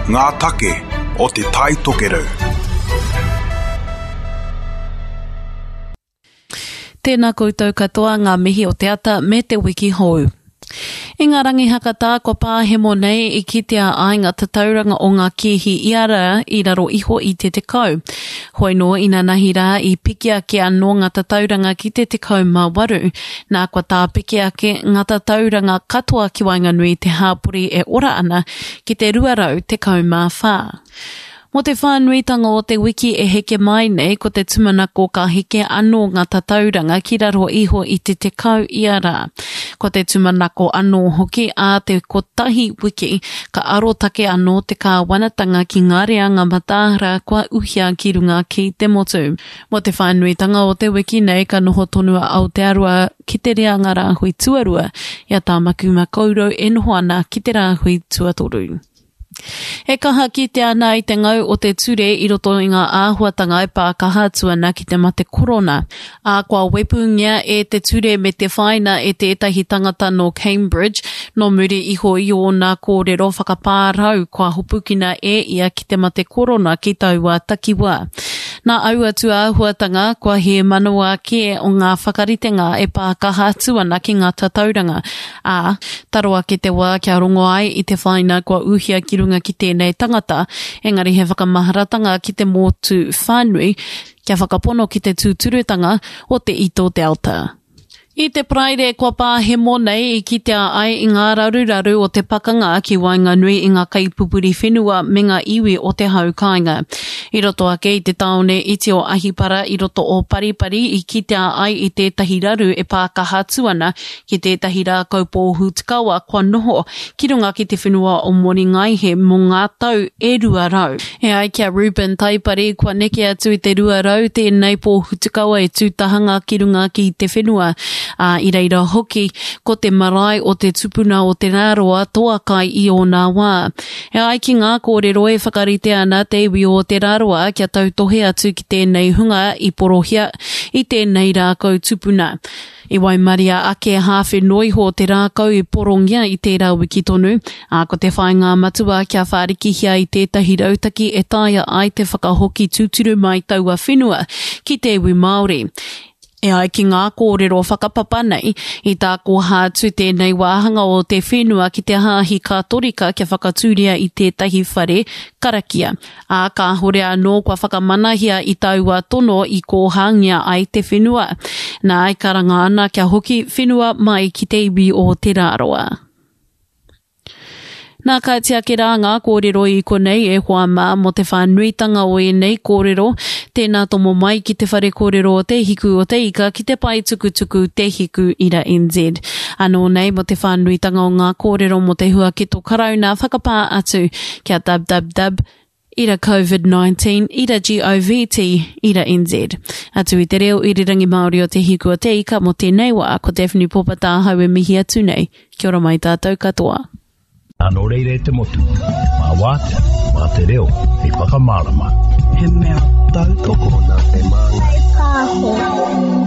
Ngā take o Te Tai Tokerau. Tēnā koutou katoa ngā mihi o te ata me te wiki hou. I ngā rangi hakatā kua pāhemo nei i kitea ai ngā tatauranga o ngā kēhi ia rā i raro iho i te 10. Hoi nō inanahi rā i piki ake anō ngā tatauranga ki te 18, nā kua tāpeke ake ngā tatauranga katoa ki waenganui i te hāpori e ora ana ki te 214. Mō te whānuitanga o te wiki e heke mai nei, ko te tūmanako ka heke anō ngā tatauranga ki raro iho i te 10 ia rā. Ko te tūmanako anō hoki ā te kotahi wiki ka arotake anō te kāwanatanga ki ngā reanga mataara kua uhia ki runga ki te motu. Mō te whānuitanga o te wiki nei ka noho tonu a Aotearoa ki te reanga rāhui tuarua i a Tāmaki Makaurau e noho ana ki te rāhui tuatoru. E kaha kitea ana i te ngau o te ture i roto i ngā āhuatanga e pā kaha atu ana ki te mate korona, ā, kua wepungia e te ture me te whaina e tētahi tangata nō Cambridge nō muri iho i ōna kōrero whakapārau kua hopukina e ia ki te mate korona ki taua takiwā. Nā aua tūāhuatanga, kua hēmanawa kē o ngā whakaritenga e pā kaha atu ana ki ngā tatauranga, Ā, taro ake te wā kia rongo ai i te whāina kua uhia ki runga ki tēnei tangata, engari he whakamaharatanga ki te motu whānui kia whakapono ki te tūturutanga o te Ito Delta. I te Paraire kua pāhemo nei i kitea ai i ngā raruraru o te pakanga ki waenganui i ngā kaipupuri whenua me ngā iwi o te hau kāinga. I roto ake i te tāone iti o Ahipara i roto o Paripari i kitea ai i tētahi raru e pākaha atu ana ki tētahi rākau pōhutukawa kua noho ki runga ki te whenua o Moringaihe mō ngā tau e 200. E ai ki a Reuben Taipari, kua neke atu i te 200 tēnei pōhutukawa e tū tahanga ki runga ki te whenua, ā, i reira hoki ko te marae o te tupuna o Te Rāroa toa kai i ōna wā. E ai ki ngā kōrero e whakarite ana te iwi o Te Rāroa kia tautohe atu ki tēnei hunga i porohia i tēnei rākau tupuna. I waimaria ake hāwhe noa iho te rākau i porongia i tērā wiki tonu, ā, ko te whāinga matua kia whārikihia i tētahi rautaki e taea ai te whakahoki tūturu mai taua whenua ki te iwi Māori. E ai ki ngā kōrero whakapapa nei, i tākoha atu tēnei wāhanga o te whenua ki te Hāhi Kātorika kia whakatūria i tētahi whare karakia. Ā, kāhore anō kua whakamanahia i taua tono i kōhāngia ai te whenua. Nā, e karanga ana kia hoki whenua mai ki te iwi o Te Rāroa. Nā, ka tiaki rā ngā kōrero i konei e hoa mā mō te whānuitanga o ēnei kōrero, tēnā tomo mai ki te whare kōrero o Te Hiku o Te Ika ki te pae tukutuku Te Hiku Ira NZ. Anō nei mō te whānuitanga o ngā kōrero mō te huaketo Karauna whakapā atu kia www ira Covid 19 ira govt ira NZ. Atu i te reo irirangi Māori o Te Hiku o Te Ika mō tēnei wā, ko Daphne Popa tāhau e mihi atu nei. Kia ora mai tātou katoa. Nō reira e te motu, mā wātea, mā te reo hei whakamārama. He mea tautoko. Tokona te māngai. Pāho.